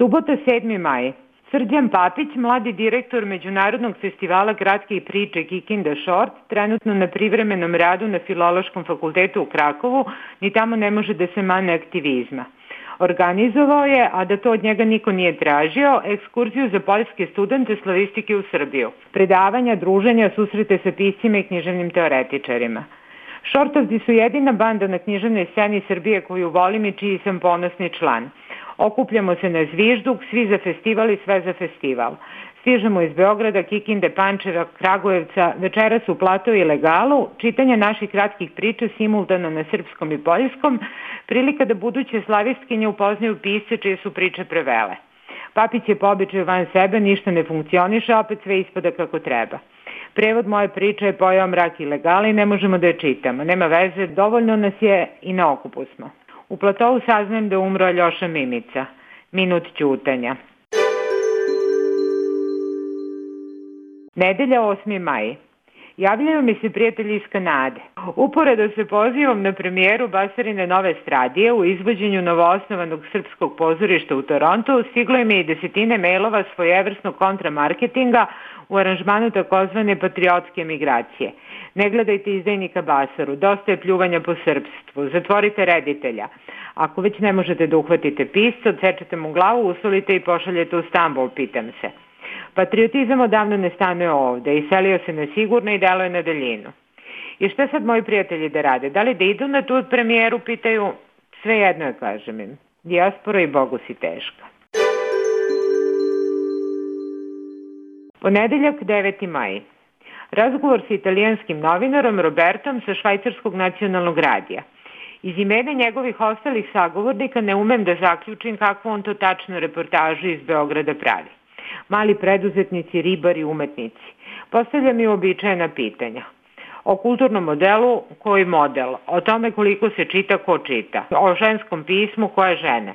Subota 7. maj. Srđan Papić, mladi direktor Međunarodnog festivala kratkih priče Kikinda Short, trenutno na privremenom radu na Filološkom fakultetu u Krakovu, ni tamo ne može da se mane aktivizma. Organizovao je, a da to od njega niko nije tražio, ekskurziju za poljske studente slavistike u Srbiju. Predavanja, druženja, susrete sa piscima i književnim teoretičarima. Shortovci su jedina banda na književnoj sceni Srbije koju volim i čiji sam ponosni član. Okupljamo se na zvižduk, svi za festival i sve za festival. Stižemo iz Beograda, Kikinde, Pančeva, Kragujevca, večeras u Plato i Legalu, čitanje naših kratkih priča simultano na srpskom i poljskom, prilika da buduće slavistkinje upoznaju pisce čije su priče prevele. Papić je po običaju van sebe, ništa ne funkcioniše, opet sve ispada kako treba. Prevod moje priče je pojao Mrak i Legala i ne možemo da je čitamo. Nema veze, dovoljno nas je i na okupu smo. U Platovu saznajem da je umro Aljoša Mimica. Minut ćutanja. Nedelja 8. maj. Javljaju mi se prijatelji iz Kanade. Uporedo se pozivom na premijeru Basarine nove stradije u izvođenju novoosnovanog srpskog pozorišta u Torontu, stiglo im je i desetine mailova svojevrsnog kontramarketinga u aranžmanu takozvane patriotske emigracije. Ne gledajte izdajnika Basaru, dosta je pljuvanja po srpstvu, zatvorite reditelja. Ako već ne možete da uhvatite pisca, odsečete mu glavu, usolite i pošaljete u Stambol, pitam se. Patriotizam odavno ne stanuje ovde, iselio se na sigurno i deluje na daljinu. I šta sad moji prijatelji da rade? Da li da idu na tu premijeru, pitaju? Sve jedno je, kažem im. Dijaspora i Bogu si teška. Ponedeljak 9. maj. Razgovor sa italijanskim novinarom Robertom sa švajcarskog nacionalnog radija. Iz imena njegovih ostalih sagovornika ne umem da zaključim kakvu on to tačno reportažu iz Beograda pravi. Mali preduzetnici, ribari, umetnici. Postavljam i uobičajena pitanja. O kulturnom modelu, koji model? O tome koliko se čita, ko čita? O ženskom pismu, koje žene?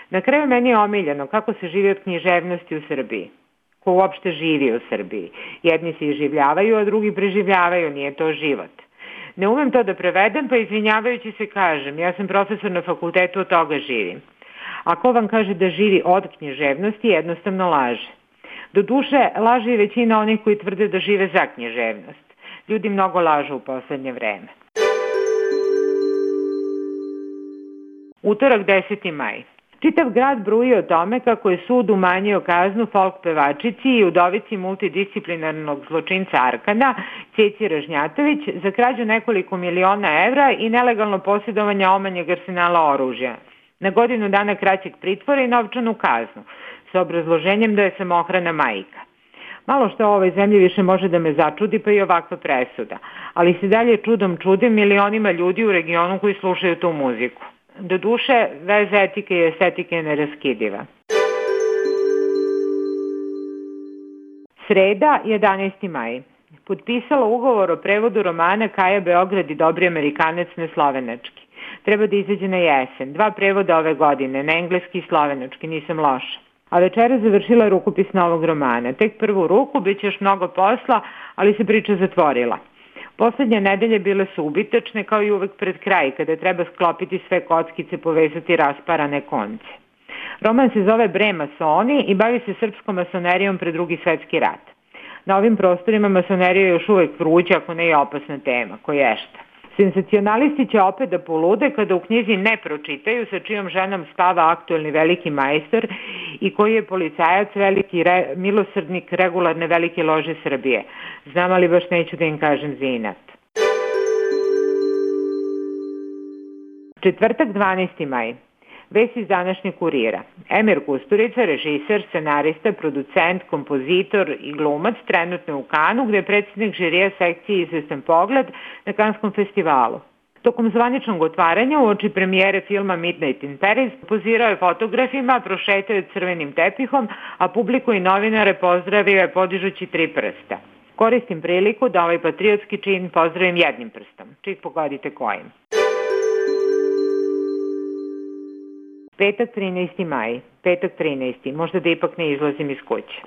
Na kraju meni je omiljeno kako se živi od književnosti u Srbiji. Ko uopšte živi u Srbiji. Jedni se iživljavaju, a drugi preživljavaju, nije to život. Ne umem to da prevedem, pa izvinjavajući se kažem, ja sam profesor na fakultetu, od toga živim. Ako vam kaže da živi od književnosti, jednostavno laže. Doduše, laže i većina onih koji tvrde da žive za književnost. Ljudi mnogo lažu u poslednje vreme. Utorak 10. maj. Čitav grad bruji o tome kako je sud umanjio kaznu folk pevačici i udovici multidisciplinarnog zločinca Arkana, Ceci Ražnjatović, za krađu nekoliko miliona evra i nelegalno posjedovanje omanjeg arsenala oružja. Na godinu dana kraćeg pritvora i novčanu kaznu, sa obrazloženjem da je samohrana majka. Malo što u ovoj zemlji više može da me začudi, pa i ovakva presuda, ali se dalje čudom čudim milionima ljudi u regionu koji slušaju tu muziku. Doduše, veza etike i estetike je neraskidiva. Sreda, 11. maj. Potpisala ugovor o prevodu romana Kaja Beograd i Dobri Amerikanac na slovenački. Treba da izađe na jesen. 2 prevoda ove godine, na engleski i slovenački, nisam loša. A večera završila rukopis novog romana. Tek prvu ruku, bit će još mnogo posla, ali se priča zatvorila. Poslednje nedelje bile su ubitačne, kao i uvek pred kraj, kada treba sklopiti sve kockice, povezati rasparane konce. Roman se zove Bre masoni i bavi se srpskom masonerijom pred Drugi svetski rat. Na ovim prostorima masonerija je još uvek vruća, ako ne i opasna tema, koješta. Senzacionalisti će opet da polude kada u knjizi ne pročitaju sa čijom ženom spava aktuelni veliki majstor i koji je policajac, veliki milosrdnik regularne velike lože Srbije. Znam, ali baš neću da im kažem za inat. Četvrtak 12. maj. Vest iz današnjeg Kurira. Emir Kusturica, režiser, scenarista, producent, kompozitor i glumac, trenutno u Kanu, gde je predsjednik žirija sekcije Izvestan pogled na Kanskom festivalu. Tokom zvaničnog otvaranja uoči premijere filma Midnight in Paris pozirao je fotografima, prošetao je crvenim tepihom, a publiku i novinare pozdravio je podižući 3 prsta. Koristim priliku da ovaj patriotski čin pozdravim jednim prstom. Čik pogodite kojim. Petak 13. maj. Petak 13. Možda da ipak ne izlazim iz kuće.